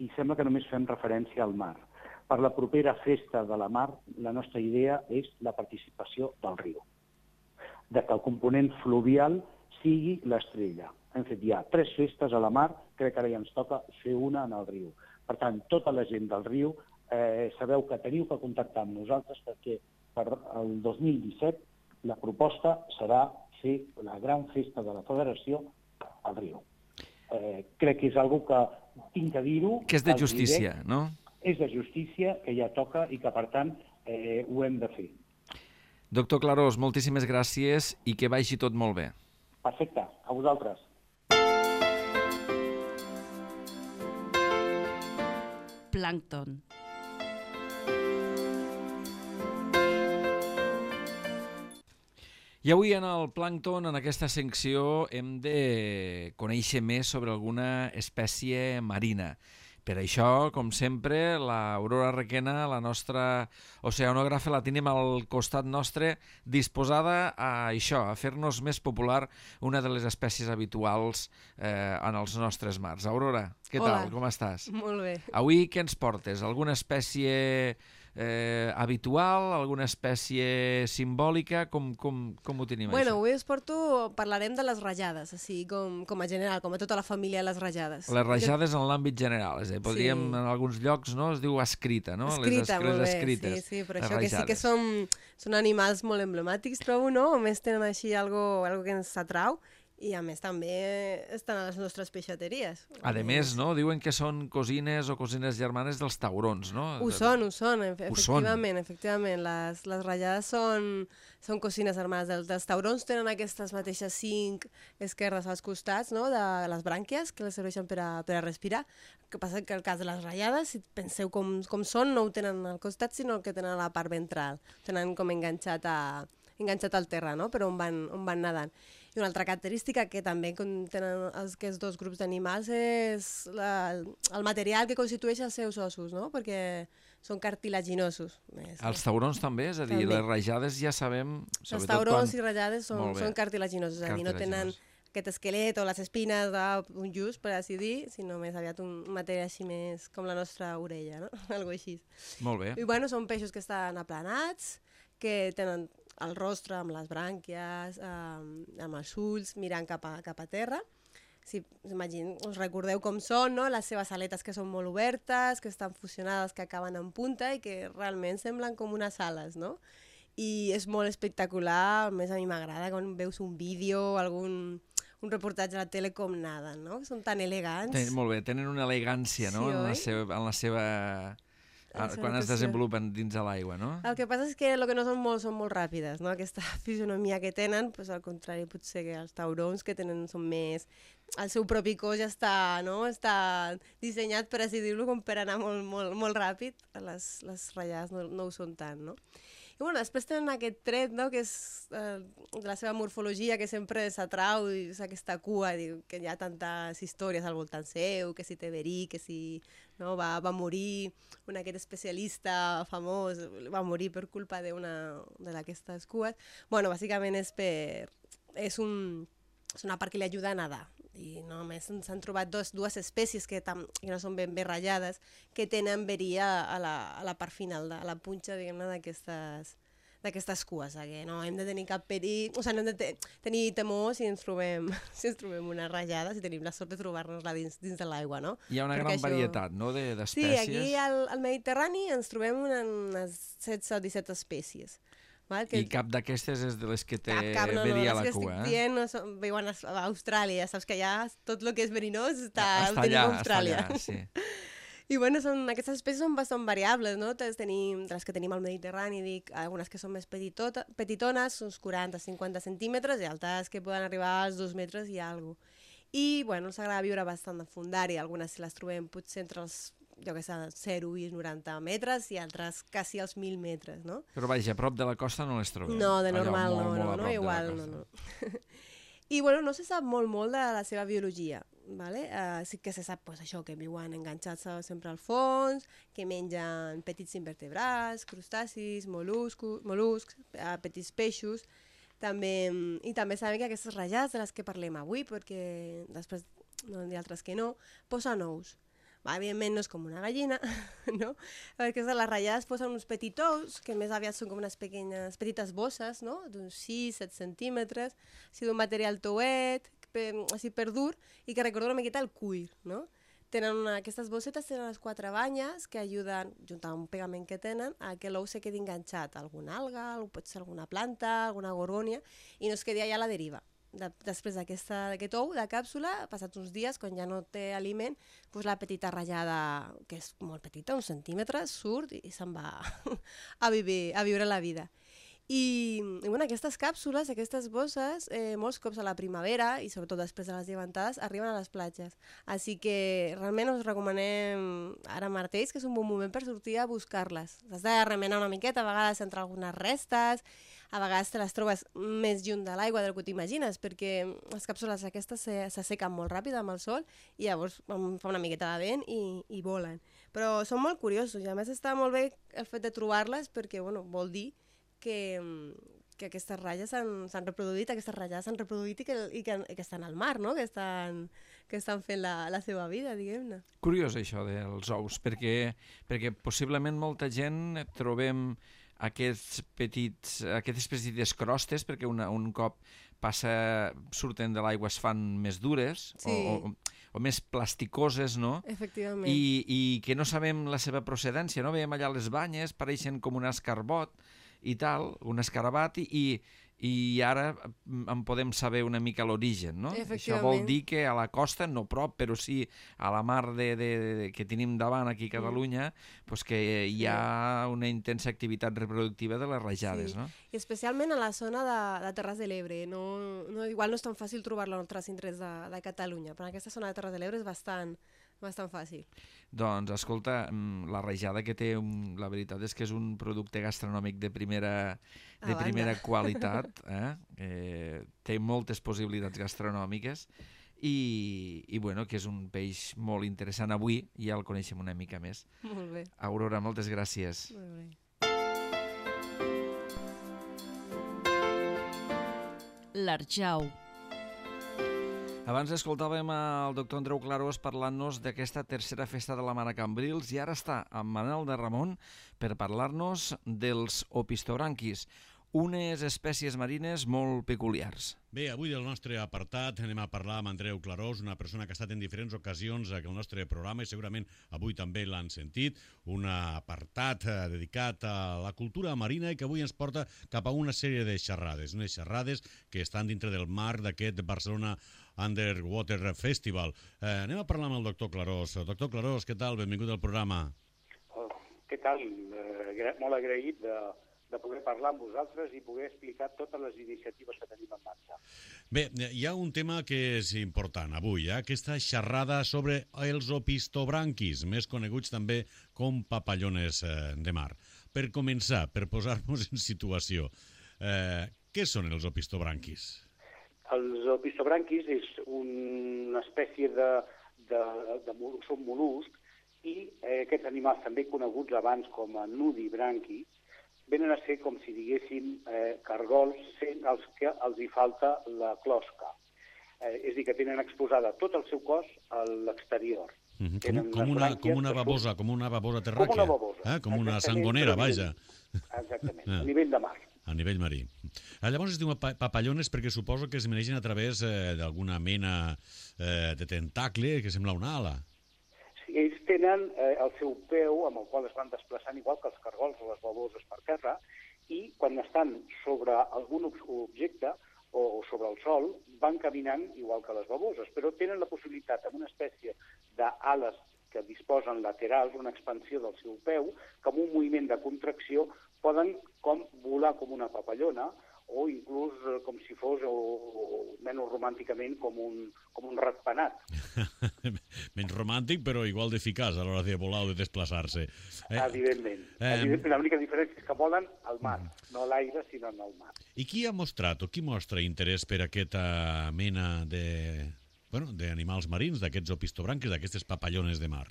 i sembla que només fem referència al mar. Per la propera festa de la mar, la nostra idea és la participació del riu, de que el component fluvial sigui l'estrella. Hem fet ja tres festes a la mar, crec que ara ja ens toca fer una en el riu. Per tant, tota la gent del riu, eh, sabeu que teniu que contactar amb nosaltres perquè per el dos mil disset la proposta serà fer la gran festa de la Federació al riu. Eh, crec que és una cosa que tinc que dir-ho. Que és de justícia, diré, no? És de justícia, que ja toca i que, per tant, eh, ho hem de fer. Doctor Clarós, moltíssimes gràcies i que vagi tot molt bé. Perfecte, a vosaltres. Plàncton. I avui en el Plàncton, en aquesta secció, hem de conèixer més sobre alguna espècie marina. Per això, com sempre, l'Aurora Requena, la nostra oceanògrafa, la tenim al costat nostre, disposada a això, a fer-nos més popular una de les espècies habituals eh, en els nostres mars. Aurora, què Hola. tal? Com estàs? Molt bé. Avui què ens portes? Alguna espècie eh, habitual, alguna espècie simbòlica? Com, com, com ho tenim, Bueno, això? avui us porto, parlarem de les ratllades, així com, com a general, com a tota la família de les ratllades. Les rajades en l'àmbit general, és a dir, podríem, Sí. en alguns llocs, no, es diu escrita, no? Escrita, les, molt les bé, escrites, sí, sí, però les això que sí que rajades. són, són animals molt emblemàtics, trobo, no? A més tenen així algo, algo que ens atrau i a més també estan a les nostres peixateries. A més, no? Diuen que són cosines o cosines germanes dels taurons, no? Ho són, ho són, efe- Ho són. efectivament, efectivament. Les, les ratllades són, són cosines armades. Dels, dels taurons tenen aquestes mateixes cinc esquerdes als costats, no?, de les brànquies, que les serveixen per a, per a respirar. El que passa que el cas de les ratllades, si penseu com, com són, no ho tenen al costat, sinó que tenen a la part ventral. Tenen com enganxat, a, enganxat al terra, no?, però on van, on van nedant. I una altra característica que també tenen els, aquests dos grups d'animals és la, el material que constitueix els seus ossos, no?, perquè són cartilaginosos. Més, Els taurons també, és a dir, També. les rajades ja sabem... els sobretot taurons quan... i ratllades són, Molt bé. són cartilaginosos, és a dir, no tenen Cartilaginosos. aquest esquelet o les espines d'un just, per així dir, sinó més aviat un material així més com la nostra orella, no? Algo així. Molt bé. I bueno, són peixos que estan aplanats, que tenen el rostre amb les brànquies, eh, amb els ulls, mirant cap a, cap a terra. Si, imagine, us recordeu com són, no?, les seves aletes que són molt obertes, que estan fusionades, que acaben en punta i que realment semblen com unes ales, no? I és molt espectacular, a més a mi m'agrada quan veus un vídeo, algun un reportatge a la tele com naden, no? Són tan elegants. Ten, molt bé, tenen una elegància, no?, Sí, en, la oi? seva, en la seva... La seva quan es natació. desenvolupen dins de l'aigua, no? El que passa és que el que no són molt, són molt ràpides, no? Aquesta fisionomia que tenen, pues, al contrari, potser que els taurons que tenen són més... El seu propi cos ja està, no? Està dissenyat, per així dir-ho, com per anar molt, molt, molt ràpid. Les, les ratllades no, no ho són tant, no? I bueno, després tenen aquest tret, no?, que és eh, de la seva morfologia, que sempre s'atrau, i és aquesta cua, diu, que hi ha tantes històries al voltant seu, que si té verí, que si no, va, va morir un aquest especialista famós, va morir per culpa d'una d'aquestes cues. Bueno, bàsicament és per... És, un, és una part que li ajuda a nedar. I només s'han trobat dos, dues espècies que, tam, que no són ben bé ratllades, que tenen verí a, a, la, a la part final, de, a la punxa, diguem-ne, d'aquestes d'aquestes cues, que no hem de tenir cap perill, o sigui, no hem de te tenir temor si ens trobem si ens trobem una ratllada, si tenim la sort de trobar-nos-la dins, dins de l'aigua, no? Hi ha una Perquè gran això... varietat, no?, Sí, d'espècies. aquí al, al Mediterrani ens trobem una, unes setze o disset espècies. Val? Que I cap d'aquestes és de les que té cap, cap, no, no, verí a les la que cua, estic eh? dient no són, viuen a a Austràlia, saps que allà tot el que és verinós està, està ho tenim allà, a Austràlia. està allà, sí. I bueno, són, aquestes espècies són bastant variables, no? Les, tenim, les que tenim al Mediterrani, dic, algunes que són més petitota, petitones, uns quaranta a cinquanta centímetres, i altres que poden arribar als dos metres i alguna cosa. I bueno, els agrada viure bastant de fundària, algunes si les trobem potser entre els jo que sé, zero i noranta metres i altres quasi als mil metres, no? Però vaja, a prop de la costa no les trobem. No, de Allò normal molt, no, molt a no, prop no, de la igual, no, costa. no. I bueno, no se sap molt, molt de la seva biologia, ¿vale? Uh, sí que se sap pues, això, que viuen enganxats sempre al fons, que mengen petits invertebrats, crustacis, mol·luscos, mol·luscs, uh, petits peixos, també, i també sabem que aquestes ratllades de les que parlem avui, perquè després no hi ha altres que no, posen ous. Va, evidentment no és com una gallina, no? Perquè les ratllades posen uns petits ous, que més aviat són com unes pequeñes, petites bosses, no? D'uns sis a set centímetres, així d'un material touet, per, així per dur, i que recorda una miqueta el cuir, no? Tenen una, aquestes bossetes tenen les quatre banyes que ajuden, junt amb un pegament que tenen, a que l'ou se quedi enganxat a alguna alga, pot ser alguna planta, alguna gorgònia, i no es quedi allà a la deriva. De, després d'aquest ou, de càpsula, passats uns dies, quan ja no té aliment, doncs la petita ratllada, que és molt petita, uns centímetres, surt i se'n va a, viure, a viure la vida. I, i bueno, aquestes càpsules, aquestes bosses, eh, molts cops a la primavera, i sobretot després de les llevantades, arriben a les platges. Així que realment us recomanem ara mateix que és un bon moment per sortir a buscar-les. Has de remenar una miqueta, a vegades entre algunes restes, a vegades te les trobes més lluny de l'aigua del que t'imagines, perquè les càpsules aquestes s'assequen molt ràpid amb el sol i llavors fa una miqueta de vent i, i volen. Però són molt curiosos i a més està molt bé el fet de trobar-les perquè bueno, vol dir que, que aquestes ratlles s'han reproduït, aquestes ratllades s'han reproduït i que, i, que, i que estan al mar, no? que, estan, que estan fent la, la seva vida, diguem-ne. Curiós això dels ous, perquè, perquè possiblement molta gent trobem aquests petits, aquestes petites crostes, perquè una, un cop passa, surten de l'aigua es fan més dures, Sí. o, o, o més plasticoses, no? Efectivament. I, i que no sabem la seva procedència, no? Veiem allà les banyes, pareixen com un escarbot i tal, un escarabat, i, i ara en podem saber una mica l'origen, no? Això vol Efectivament. dir que a la costa, no prop, però sí a la mar de, de, de, que tenim davant aquí a Catalunya, mm. pues que hi ha una intensa activitat reproductiva de les rajades, Sí. no? I especialment a la zona de, de Terres de l'Ebre. No, no, igual no és tan fàcil trobar-la en altres indrets de, de Catalunya, però en aquesta zona de Terres de l'Ebre és bastant, bastant fàcil. Doncs, escolta, mm, la rajada que té, un, la veritat és que és un producte gastronòmic de primera, de A primera banda. qualitat, eh? Eh, té moltes possibilitats gastronòmiques i, i bueno, que és un peix molt interessant. Avui ja el coneixem una mica més. Molt bé. Aurora, moltes gràcies. Molt bé. L'Arjau. Abans escoltàvem el doctor Andreu Clarós parlant-nos d'aquesta tercera festa de la Mare a Cambrils i ara està amb Manel de Ramon per parlar-nos dels opistobranquis, unes espècies marines molt peculiars. Bé, avui del nostre apartat anem a parlar amb Andreu Clarós, una persona que ha estat en diferents ocasions aquí al nostre programa i segurament avui també l'han sentit, un apartat eh, dedicat a la cultura marina i que avui ens porta cap a una sèrie de xerrades, unes xerrades que estan dintre del marc d'aquest Barcelona Underwater Festival. Eh, anem a parlar amb el doctor Clarós. Doctor Clarós, què tal? Benvingut al programa. Oh, què tal? Eh, molt agraït de, de poder parlar amb vosaltres i poder explicar totes les iniciatives que tenim en marxa. Bé, hi ha un tema que és important avui, eh? Aquesta xerrada sobre els opistobranquis, més coneguts també com papallones eh, de mar. Per començar, per posar-nos en situació, eh, què són els opistobranquis? Els opistobranquis és una espècie de, de, de mol, són mol·luscs i eh, aquests animals també coneguts abans com a nudibranquis venen a ser com si diguéssim eh, cargols sent els que els hi falta la closca. Eh, és a dir, que tenen exposada tot el seu cos a l'exterior. Mm -hmm. Tenen com, com, unes una, brànquies com una que babosa, són- com una babosa terràquea. Com una babosa. Eh? Com una Exactament, sangonera, però a vaja. nivell- Exactament, Ah. a nivell de mar. A nivell marí. Ah, llavors es diuen pa papallones perquè suposo que es menegen a través eh, d'alguna mena eh, de tentacle que sembla una ala. Sí, ells tenen eh, el seu peu amb el qual es van desplaçant igual que els cargols o les baboses per terra i quan estan sobre algun ob objecte o, o sobre el sol van caminant igual que les baboses, però tenen la possibilitat amb una espècie d'ales que disposen laterals, una expansió del seu peu, que amb un moviment de contracció poden com volar com una papallona o inclús eh, com si fos, o, o menys romànticament, com un, com un ratpenat. Menys romàntic, però igual d'eficaç a l'hora de volar o de desplaçar-se. Eh, Evidentment. eh, Evidentment. L'única diferència és que volen al mar, no a l'aire, sinó en el mar. I qui ha mostrat o qui mostra interès per aquesta mena de bueno, d'animals marins, d'aquests opistobranquis, d'aquestes papallones de mar?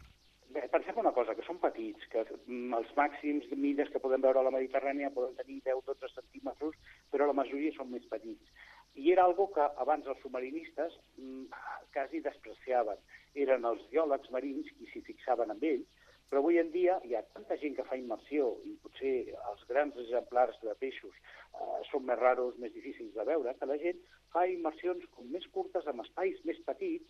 Bé, pensem una cosa, que són petits, que mm, els màxims de mides que podem veure a la Mediterrània poden tenir deu a dotze centímetres, però la majoria són més petits. I era algo que abans els submarinistes mm, quasi despreciaven. Eren els biòlegs marins qui s'hi fixaven amb ells, però avui en dia hi ha tanta gent que fa immersió i potser els grans exemplars de peixos eh, són més raros, més difícils de veure, que la gent fa immersions com més curtes, amb espais més petits,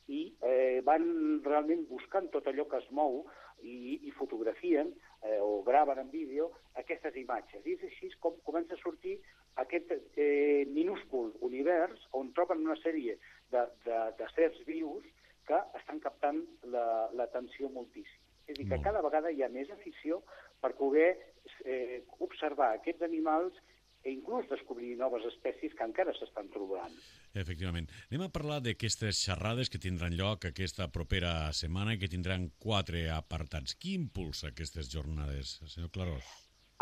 i eh, van realment buscant tot allò que es mou i, i fotografien eh, o graven en vídeo aquestes imatges. I és així com comença a sortir aquest eh, minúscul univers on troben una sèrie de, de, de certs vius que estan captant l'atenció la, moltíssim. És a dir, que cada vegada hi ha més afició per poder eh, observar aquests animals i inclús descobrir noves espècies que encara s'estan trobant. Efectivament. Anem a parlar d'aquestes xerrades que tindran lloc aquesta propera setmana i que tindran quatre apartats. Qui impulsa aquestes jornades, senyor Clarós?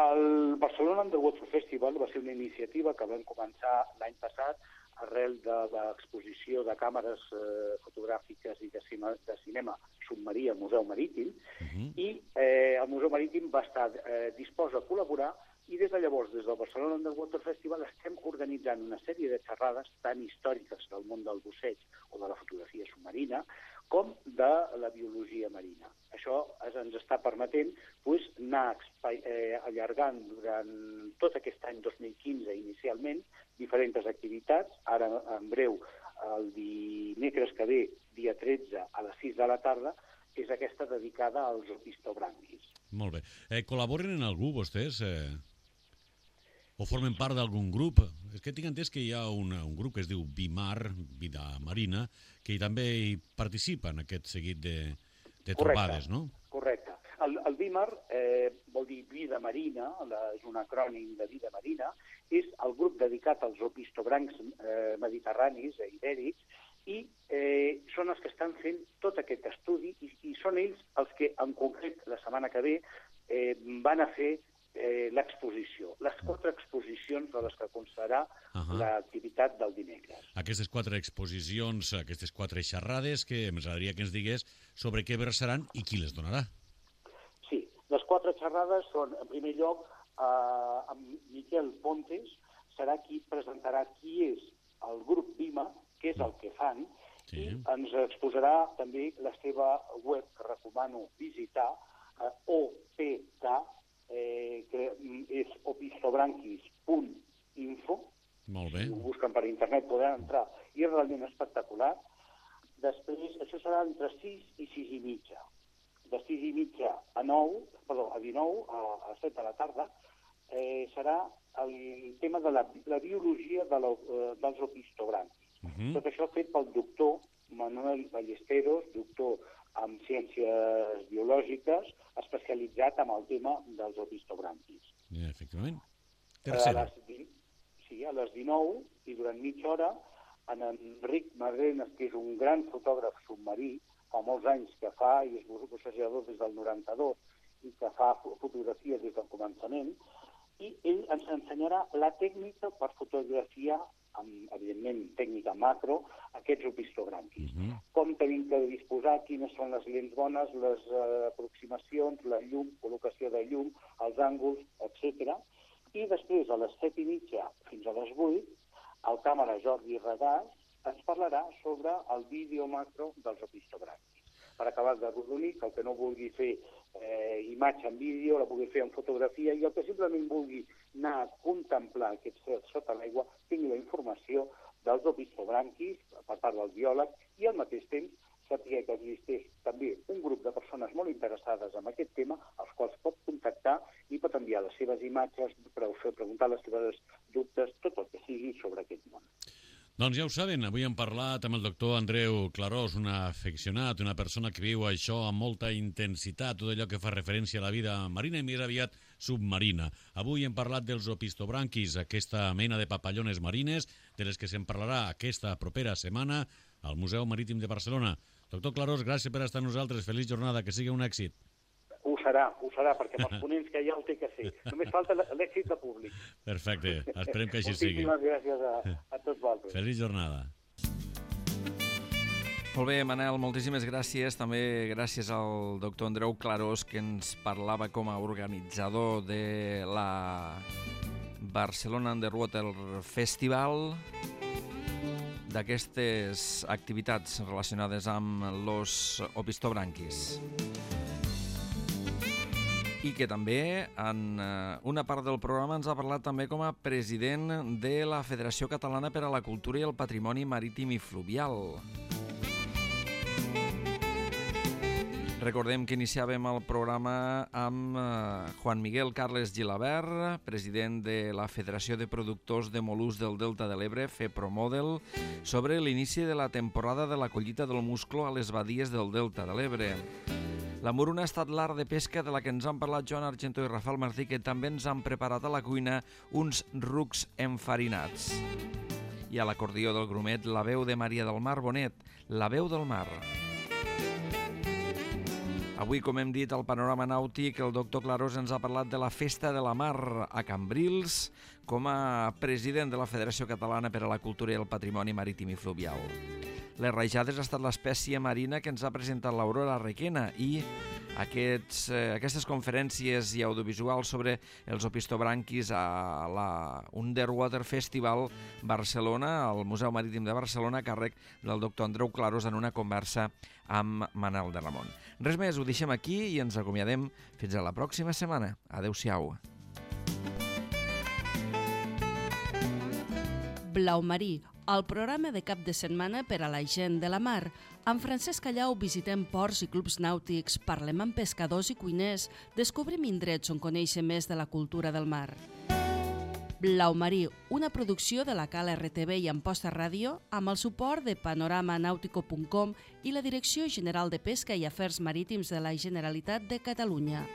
El Barcelona Underwater Festival va ser una iniciativa que vam començar l'any passat arrel de l'exposició de càmeres eh, fotogràfiques i de, cine, de cinema submarí al Museu Marítim, uh -huh. i eh, el Museu Marítim va estar eh, dispost a col·laborar I des de llavors, des del Barcelona Underwater Festival, estem organitzant una sèrie de xerrades tan històriques del món del busseig o de la fotografia submarina com de la biologia marina. Això ens està permetent pues, anar eh, allargant durant tot aquest any dos mil quinze inicialment diferents activitats. Ara, en breu, el dimecres que ve, dia tretze, a les sis de la tarda, és aquesta dedicada als opistobranquis. Molt bé. Eh, col·laboren en algú, vostès? Eh... O formen part d'algun grup? És que tinc entès que hi ha un, un grup que es diu Vimar, Vida Marina, que també hi participa en aquest seguit de, de trobades, no? Correcte. El, el Vimar eh, vol dir Vida Marina, la, és un acrònim de Vida Marina, és el grup dedicat als opistobrancs eh, mediterranis, eh, ibèrics, i eh, són els que estan fent tot aquest estudi i, i són ells els que, en concret, la setmana que ve, eh, van a fer eh, l'exposició, les quatre exposicions de les que constarà uh -huh. l'activitat del dimecres. Aquestes quatre exposicions, aquestes quatre xerrades, que ens agradaria que ens digués sobre què versaran i qui les donarà. Sí, les quatre xerrades són, en primer lloc, eh, amb Miquel Pontes, serà qui presentarà qui és el grup Vima, què és el que fan, sí. I ens exposarà també la seva web, que recomano visitar, eh, O P K, eh, que és opistobranquis punt info. Molt bé. Si ho busquen per internet podran entrar, i és realment espectacular. Després, això serà entre sis i sis i mitja. De sis i mitja a nou, perdó, a dinou, a, a set de la tarda, eh, serà el tema de la, la biologia de la, eh, dels opistobranquis. Uh -huh. Tot això fet pel doctor Manuel Ballesteros, doctor en ciències biològiques, especialitzat en el tema dels opistobranquis. Ja, efectivament. Tercera. A les, sí, a les dinou, i durant mitja hora, en Enric Madrenes, que és un gran fotògraf submarí, fa molts anys que fa, i és bussejador des del noranta-dos, i que fa fotografia des del començament, i ell ens ensenyarà la tècnica per fotografiar, amb, evidentment, tècnica macro, aquests opistobranquis. Uh -huh. Com tenim que disposar, quines són les lents bones, les uh, aproximacions, la llum, col·locació de llum, els ànguls, etcètera. I després, a les set i mitja fins a les vuit, el càmera Jordi Regàs ens parlarà sobre el vídeo macro dels opistobranquis. Per acabar de rodonir, que el que no vulgui fer eh, imatge en vídeo, la pugui fer en fotografia, i el que simplement vulgui anar a contemplar aquests certs sota l'aigua, tingui la informació dels opistobranquis per part del biòleg, i al mateix temps sàpiga que existeix també un grup de persones molt interessades en aquest tema, als quals pot contactar i pot enviar les seves imatges, preguntar les seves dubtes, tot el que sigui sobre aquest món. Doncs ja ho saben, avui hem parlat amb el doctor Andreu Clarós, un aficionat, una persona que viu això amb molta intensitat, tot allò que fa referència a la vida marina i més aviat submarina. Avui hem parlat dels opistobranquis, aquesta mena de papallones marines, de les que se'n parlarà aquesta propera setmana al Museu Marítim de Barcelona. Doctor Clarós, gràcies per estar amb nosaltres, feliç jornada, que sigui un èxit. Ho serà, ho serà, perquè amb els ponents que hi ha ho té que ser. Només falta l'èxit de públic. Perfecte, esperem que així sigui. Moltíssimes gràcies a, a tots vosaltres. Feliç jornada. Molt bé, Manel, moltíssimes gràcies. També gràcies al doctor Andreu Clarós, que ens parlava com a organitzador de la Barcelona Underwater Festival, d'aquestes activitats relacionades amb los opistobranquis. I que també en una part del programa ens ha parlat també com a president de la Federació Catalana per a la Cultura i el Patrimoni Marítim i Fluvial. Recordem que iniciàvem el programa amb Juan Miguel Carles Gilabert, president de la Federació de Productors de Mol·luscs del Delta de l'Ebre, FEPROMODEL, sobre l'inici de la temporada de la collita del musclo a les badies del Delta de l'Ebre. La moruna ha estat l'art de pesca de la que ens han parlat Joan Argentó i Rafael Martí, que també ens han preparat a la cuina uns rucs enfarinats. I a l'acordió del grumet, la veu de Maria del Mar Bonet, la veu del mar. Avui, com hem dit, al panorama nàutic, el doctor Clarós ens ha parlat de la Festa de la Mar a Cambrils com a president de la Federació Catalana per a la Cultura i el Patrimoni Marítim i Fluvial. Les rajades ha estat l'espècie marina que ens ha presentat l'Aurora Requena i Aquests, eh, aquestes conferències i audiovisuals sobre els opistobranquis a la Underwater Festival Barcelona, al Museu Marítim de Barcelona, a càrrec del doctor Andreu Clarós en una conversa amb Manel de Ramon. Res més, ho deixem aquí i ens acomiadem fins a la pròxima setmana. Adéu-siau. Blau Marí, el programa de cap de setmana per a la gent de la mar. Amb Francesc Callau visitem ports i clubs nàutics, parlem amb pescadors i cuiners, descobrim indrets on conèixer més de la cultura del mar. Blau Marí, una producció de la Cal R T V i Amposta Ràdio amb el suport de panorama nautico punt com i la Direcció General de Pesca i Afers Marítims de la Generalitat de Catalunya.